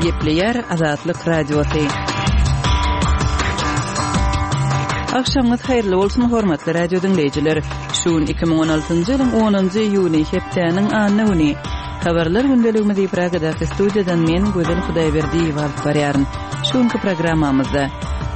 Gepleýär Azatlyk Radiosy. Agşamyňyz haýyrly bolsun, hormatly radio diňleýjiler. Şu gün 2016-njy ýylyň 10-njy iýuny, hepdäniň anna güni. Habarlar gündeligimizi Pragadaky studiýadan men Gözel Hudaýberdiýewa alyp barýaryn. Şu günki programmamyzda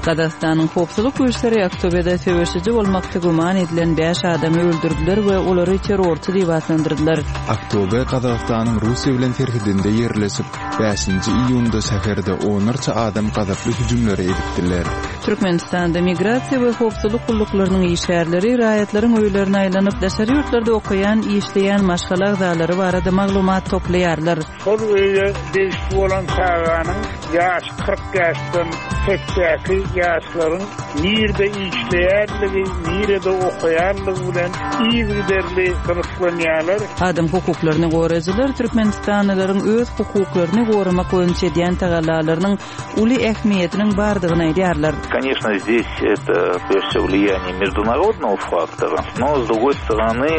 Gazagystanyň howpsuzlyk güýçleri Aktobede söweşiji bolmakda güman edilen bäş adamy öldürdiler we olary terrorçy diýip atlandyrdylar. Aktobe Gazagystanyň Russiýa bilen serhedinde ýerleşip, bäşinji iýunda şäherde onlarça adam gazaply hüjümleri edipdiler. Türkmenistanda migrasiýa we howpsuzlyk gulluklarynyň işgärleri raýatlaryň öýlerine aýlanyp, daşary ýurtlarda okaýan, işleýän maşgala agzalary barada maglumat toplaýarlar. Şol öýe degişli bolan çaganyň ýaşy 40 ýaşdan pesdäki ýaşlaryň nirde işleýänligi, nirede okaýanlygy bilen yzygiderli gyzyklanýarlar. Adam hukuklaryny goraýjylar türkmenistanlylaryň öz hukuklaryny goramak boýunça edýän tagallalarynyň uly ähmiýetiniň bardygyny aýdýarlar. Koneçno, zdes eto, prejde wsego, wliýanie mejdunarodnogo faktora, no, s drugoý storony,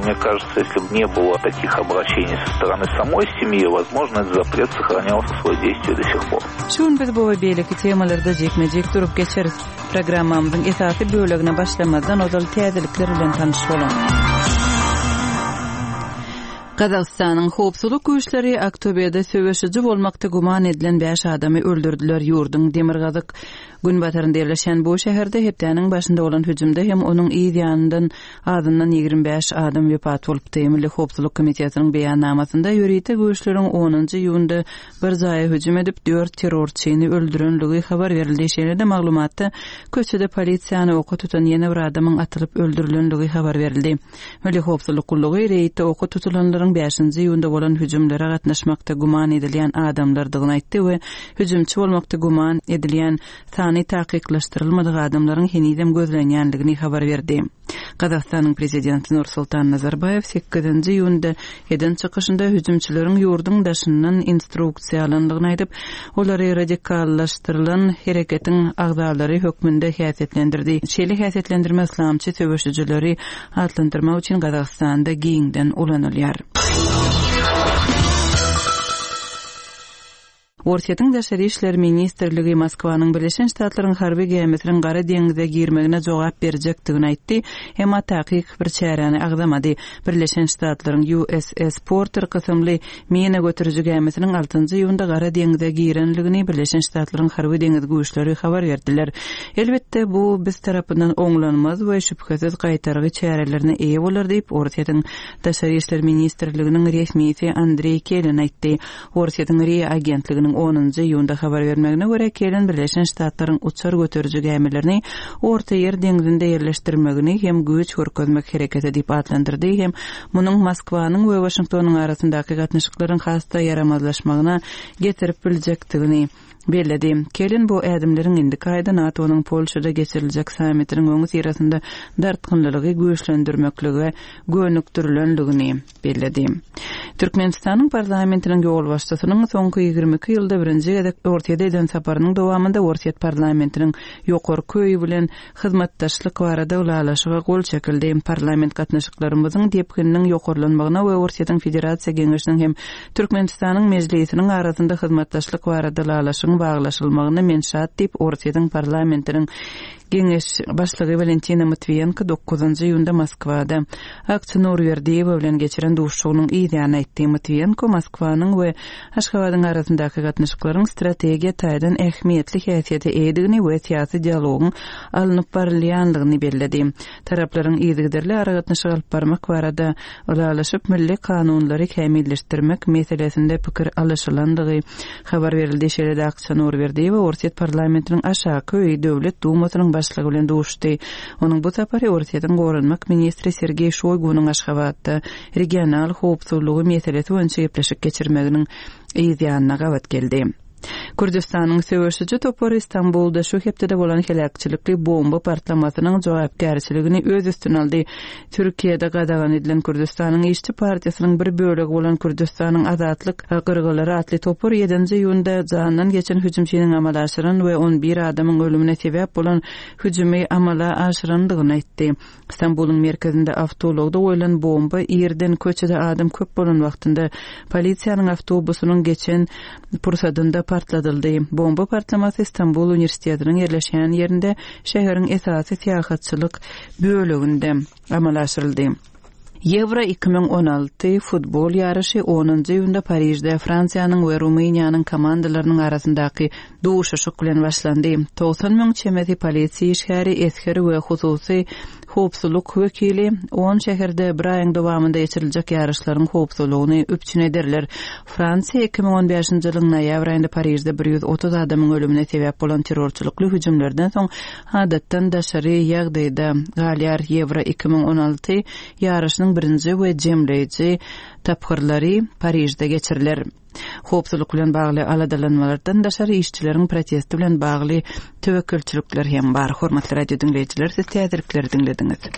mne kažetsya, esli b ne bylo takih obraşeniý so storony samoý semýi, wozmožno, etot zapret sohranýal svoýe deýstwiýe do sih por. Şu gün biz bu we beýleki temalarda jikme-jik durup geçeris. Programmamyzyň esasy bölegine başlamazdan ozal täzelikler bilen tanyş boluň. Gazagystanyň howpsuzlyk güýçleri Aktobede söweşiji bolmakda güman edilen bäş adamy öldürdiler. Ýurduň demirgazyk günbatarynda ýerleşýän bu şäherde hepdäniň başynda bolan hüjümde hem onuň yz ýanyndan azyndan 25 adam wepat bolupdy. Milli howpsuzlyk komitetiniň beýannamasynda ýörite güýçleriň onunjy iýunda bir jaýa hüjüm edip, dört terrorçyny öldürenligi habar berildi. Şeýle-de maglumatda köçede polisiýany oka tutan ýene bir adamyň atylyp öldürilenligi habar berildi. Milli howpsuzlyk gullugy reýdde oka tutulanlaryň bäşinji iýunda bolan hüjümlere gatnaşmakda güman edilýän adamlardygyny aýtdy we hüjümçi bolmakda güman edilýän sany takyklaşdyrylmadyk adamlaryň henizem gözlenýändigini habar berdi. Gazagystanyň prezidenti Nursultan Nazarbaýew sekizinji iýunda eden çykyşynda hüjümçileriň ýurduň daşyndan instruksiýa alandygyny aýdyp, olary radikallaşdyrylan hereketiň agzalary hökmünde häsiýetlendirdi. Şeýle häsiýetlendirme yslamçy söweşijileri atlandyrmak üçin Gazagystanda giňden ulanylýar. Orsýetiň Daşary işler ministrligi Moskwanyň Birleşen Ştatlaryň harby gämisiniň Gara deňize girmegine jogap berjekdigini aýtdy, emma takyk bir çäräni agzamady. Birleşen Ştatlaryň USS Porter kysymly mina göteriji gämisiniň altynjy iýunda Gara deňize girenligini Birleşen Ştatlaryň harby-deňiz güýçleri habar berdiler. Elbetde, bu biz tarapyndan oňlanmaz we şübhesiz gaýtargy çärelerine eýe bolar diýip, Orsýetiň Daşary işler ministrliginiň resmisi Andreý Kelin aýtdy. Orsýetiň RIA agentliginiň onunjy iýunda habar bermegine görä, Kellen Birleşen Ştatlaryň uçar göteriji gämilerini Ortaýer deňzinde ýerleşdirmegini hem güýç görkezmek hereketi diýip atlandyrdy hem munuň Moskwanyň we Waşingtonyň arasyndaky gatnaşyklaryň has-da ýaramazlaşmagyna getirip biljekdigini belledi. Kellen bu ädimleriň indiki aýda NATO-nyň Polşada geçiriljek sammitiniň öňüsyrasynda dartgynlylygy güýçlendirmeklige gönükdirilendigini belledi. Türkmenistanyň parlamentiniň ýolbaşçysynyň soňky 22 ýylda birinji gezek Orsýete eden saparynyň dowamynda Orsýet parlamentiniň ýokarky öýi bilen hyzmatdaşlyk barada ylalaşyga gol çekildi. Parlament gatnaşyklarymyzyň depgininiň ýokarlanmagyna we Orsýetiň Federasiýa Geňeşiniň hem Türkmenistanyň Mejlisiniň arasynda hyzmatdaşlyk barada ylalaşygyň baglaşylmagyna men şat diýip, Orsýetiň parlamentiniň Geňeş başlygy Walentina Matwiýenko dokuzynjy iýunda Moskwada Akça Nurberdiýewa bilen geçiren duşuşygynyň yz ýany aýtdy. Matwiýenko Moskwanyň we Aşgabadyň arasyndaky gatnaşyklaryň strategiýa taýdan ähmiýetli häsiýete eýedigini we syýasy dialogyň alnyp barylýandygyny belledi. Taraplaryň yzygiderli aragatnaşyk alyp barmak barada ylalaşyp, milli kanunlary kämilleşdirmek meselesinde pikir alyşylandygy habar berildi. Şeýle-de Akça Nurberdiýewa Orsýet parlamentiniň aşaky öýi Döwlet Dumasynyň başlygy bilen duşuşdy. Onuň bu sapary Orsýetiň goranmak ministri Sergeý Şoýgunyň Aşgabatda regional howpsuzlygy meselesi boýunça gepleşik geçirmeginiň yz ýanyna gabat geldi. Kürdüstanyň söweşiji topary Stambulda şu hepdede bolan heläkçilikli bomba partlamasynyň jogapkärçiligini öz üstüne aldy. Türkiýede gadagan edilen Kürdüstanyň işçi partiýasynyň bir bölegi bolan Kürdüstanyň Azatlyk gyrgylary atly topar ýedinji iýunda jandan geçen hüjümçiniň amala aşyran we on bir adamyň ölümine sebäp bolan hüjümi amala aşyrandygyny aýtdy. Stambulyň merkezinde awtoulagda goýlan bomba irden köçede adam köp bolan wagtynda polisiýanyň awtobusynyň geçen pursadynda. partladyldy. Bomba partlamasy Stambul uniwersitetiniň ýerleşýän ýerinde, şäheriň esasy syýahatçylyk böleginde amala aşyryldy. Ýewro 2016 futbol ýaryşy onunjy iýunda Parižde Fransiýanyň we Rumyniýanyň komandalarynyň arasyndaky duşuşyk bilen başlandy. 90 müň çemesi polisiýa işgäri, esger we hususy howpsuzlyk wekili on şäherde bir aýyň dowamynda geçiriljek ýaryşlaryň howpsuzlygyny üpjün ederler. Fransiýa 2015-nji ýylyň noýabr aýynda Parižde 130 adamyň ölümine sebäp bolan terrorçylykly hüjümlerden soň adatdan daşary ýagdaýda galýar. Ýewro 2016 ýaryşynyň birinji we jemleýji tapgyrlary Parižde geçiriler. Howpsuzlyk bilen bagly aladalanmalardan daşary işçileriň protesti bilen bagly töwekgelçilikler hem bar. Hormatly radio diňleýjiler, siz täzelikleri diňlediňiz.